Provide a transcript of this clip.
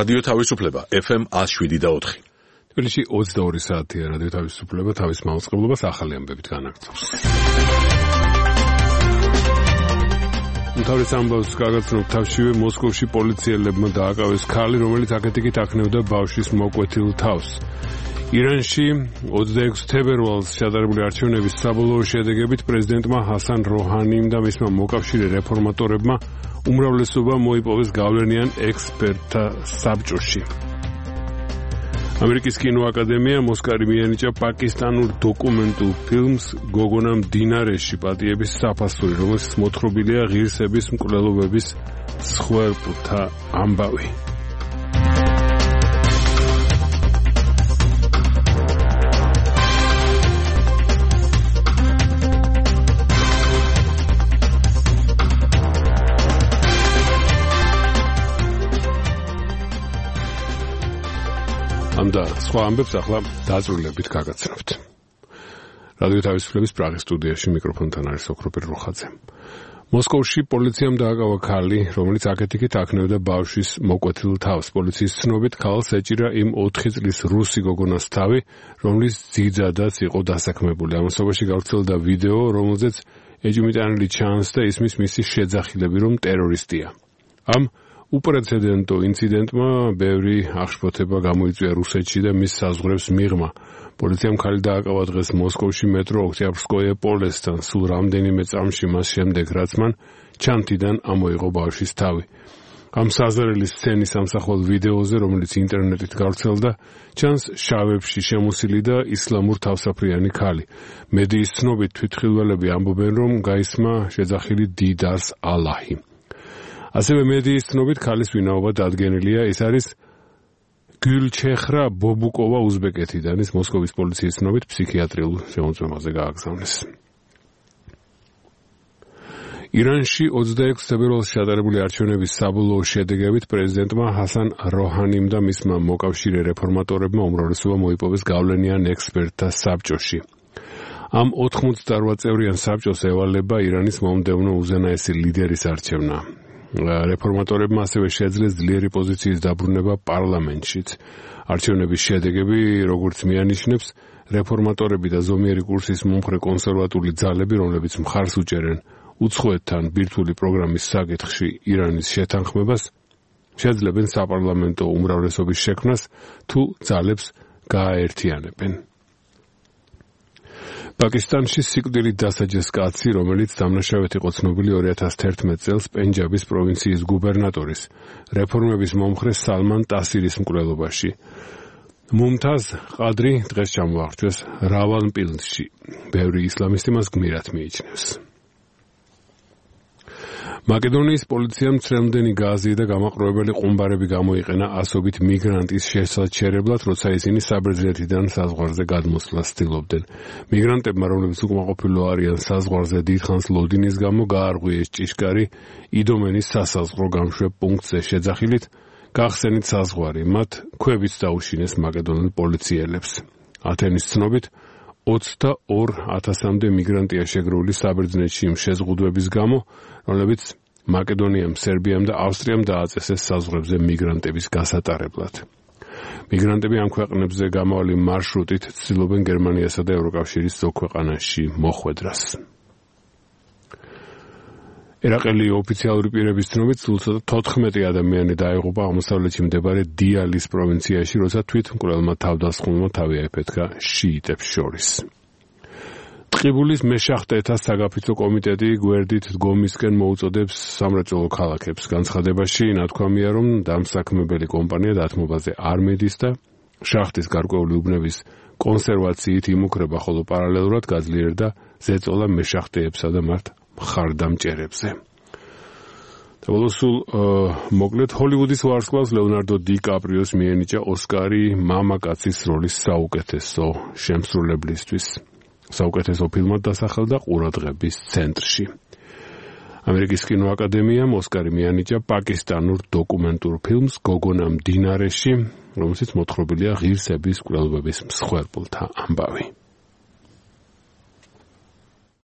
რადიო თავისუფლება FM 107.4. თბილისში 22 საათია რადიო თავისუფლება თავის მაუწყებლობას ახალი ამბებით განაგრძობს. თავის ამბავს გაგაცნობ თავშივე მოსკოვში პოლიციელებმა დააკავეს ქალი, რომელიც აკეთიკით აქნევდა ბავშვის მოკვეთილ თავს. ირანში 26 თებერვალს შედარებული არჩევნების საბოლოო შედეგებით პრეზიდენტმა ჰასან როჰანიმ და მისმა მოკავშირე რეფორმატორებმა უმრავლესობა მოიპოვეს გავლენიან ექსპერტთა საბჭოში. ამერიკის კინოაკადემიამ ოსკარი მიანიჭა პაკისტანურ დოკუმენტურ ფილმს გოგონა მდინარეში პატიების საფასური, რომელშიც მოთხრობილია ღირსების მკვლელობების მსხვერპლთა ამბავი. და სხვა ამბებს ახლა დაწვრილებით გაგაცნობთ. რადიო თავისუფლების პრაღის სტუდიაში მიკროფონთან არის ოქროპირ რუხაძე. მოსკოვში პოლიციამ დააკავა ქალი, რომელიც აკეთიკით აქნევდა ბავშვის მოკვეთილ თავს. პოლიციის ცნობით ქალს ეჭირა იმ 4 წლის რუსი გოგონას თავი, რომლის ძიძადაც იყო დასაქმებული. ამასობაში გავრცელდა ვიდეო, რომელზეც ეჭვმიტანილი ჩანს და ისმის მისი შეძახილები, რომ ტერორისტია. ამ უპრეცედენტო ინციდენტმა ბევრი აღშფოთება გამოიწვია რუსეთში და მის საზღვრებს მიღმა. პოლიციამ ქალი დააკავა დღეს მოსკოვში მეტრო ოქტიაბრსკოიე პოლესთან, სულ რამდენიმე წამში მას შემდეგ, რაც მან ჩანთიდან ამოიღო ბავშვის თავი. ამ საზარელი სცენის ამსახველ ვიდეოზე, რომელიც ინტერნეტით გავრცელდა, ჩანს შავებში შემოსილი და ისლამურ თავსაფრიანი ქალი. მედიის ცნობით თვითმხილველები ამბობენ, რომ გაისმა შეძახილი დიდარს ალაჰი. ასევე მედიის ცნობით ქალის ვინაობა დადგენილია, ის არის გულჩეხრა ბობუკოვა უზბეკეთიდან, ის მოსკოვის პოლიციის ცნობით ფსიქიატრიულ შემოწმებაზე გააგზავნეს. ირანში 26 თებერვალს შედარებული არჩევნების საბოლოო შედეგებით პრეზიდენტმა ჰასან როჰანიმ და მისმა მოკავშირე რეფორმატორებმა უმრავლესობა მოიპოვეს გავლენიან ექსპერტთა საბჭოში. ამ 88 წევრიან საბჭოს ევალება ირანის მომდევნო უზენაესი ლიდერის არჩევნა. რეფორმატორებმა ასევე შეძლეს ძლიერი პოზიციის დაბრუნება პარლამენტშიც. არჩევნების შედეგები, როგორც მიანიშნებს, რეფორმატორები და ზომიერი კურსის მომხრე კონსერვატული ძალები, რომლებიც მხარს უჭერენ უცხოეთთან ბირთვული პროგრამის საკითხში ირანის შეთანხმებას, შეძლებენ საპარლამენტო უმრავლესობის შექმნას, თუ ძალებს გააერთიანებენ. პაკისტანში სიკვდილით დასაჯეს კაცი, რომელიც დამნაშავედ იყო ცნობილი 2011 წელს პენჯაბის პროვინციის გუბერნატორის, რეფორმების მომხრე სალმან ტასირის მკვლელობაში. მუმთაზ ყადრი დღეს ჩამოაღწიეს რავალპინდში. ბევრი ისლამისტი მას გმირად მიიჩნევს. მაკედონიის პოლიციამ ცრემლდენი გაზი და გამაყრუებელი ყუმბარები გამოიყენა ასობით მიგრანტის შესაჩერებლად, როცა ისინი საბერძნეთიდან საზღვარზე გადმოსვლას ცდილობდნენ. მიგრანტებმა, რომლებიც უკმაყოფილო არიან საზღვარზე დიდხანს ლოდინის გამო, გაარღვიეს ჭიშკარი იდომენის სასაზღვრო გამშვებ პუნქტზე შეძახილით, გახსენით საზღვარი, მათ ქვევით დაუშინეს მაკედონელ პოლიციელებს. ათენის ცნობით 22,000-მდე მიგრანტია შეგროვილი საბერძნეთში იმ შეზღუდვების გამო, რომლებიც მაკედონიამ, სერბიამ და ავსტრიამ დააწესეს საზღვრებზე მიგრანტების გასატარებლად. მიგრანტები ამ ქვეყნებზე გამავალი მარშრუტით ცდილობენ გერმანიასა და ევროკავშირის ზოგ ქვეყანაში მოხვედრას. ერაყელი ოფიციალური პირების ცნობით, სულ 14 ადამიანი დაიღუპა აღმოსავლეთში მდებარე დიალის პროვინციაში, როცა თვითმკვლელმა თავდასხმულმა თავი აიფეთქა შიიტებს შორის. ტყიბულის მეშახტეთა საგაფიცო კომიტეტი გვერდით დგომისკენ მოუწოდებს სამრეწველო ქალაქებს. განცხადებაში ნათქვამია, რომ დამსაქმებელი კომპანია დათმობაზე არ მიდის და შახტის გარკვეული უბნების კონსერვაციით იმუქრება, ხოლო პარალელურად გაძლიერდა ზეწოლა მეშახტეებსა და მათ მხარდამჭერებზე. სულ მოკლედ ჰოლივუდის ვარსკვლავს ლეონარდო დი კაპრიოს მიენიჭა ოსკარი მამაკაცის როლის საუკეთესო შემსრულებლისთვის. საუკეთესო ფილმად დასახელდა ყურადღების ცენტრში. ამერიკის კინოაკადემიამ ოსკარი მიანიჭა პაკისტანურ დოკუმენტურ ფილმს გოგონა მდინარეში, რომელშიც მოთხრობილია ღირსების მკვლელობების მსხვერპლთა ამბავი.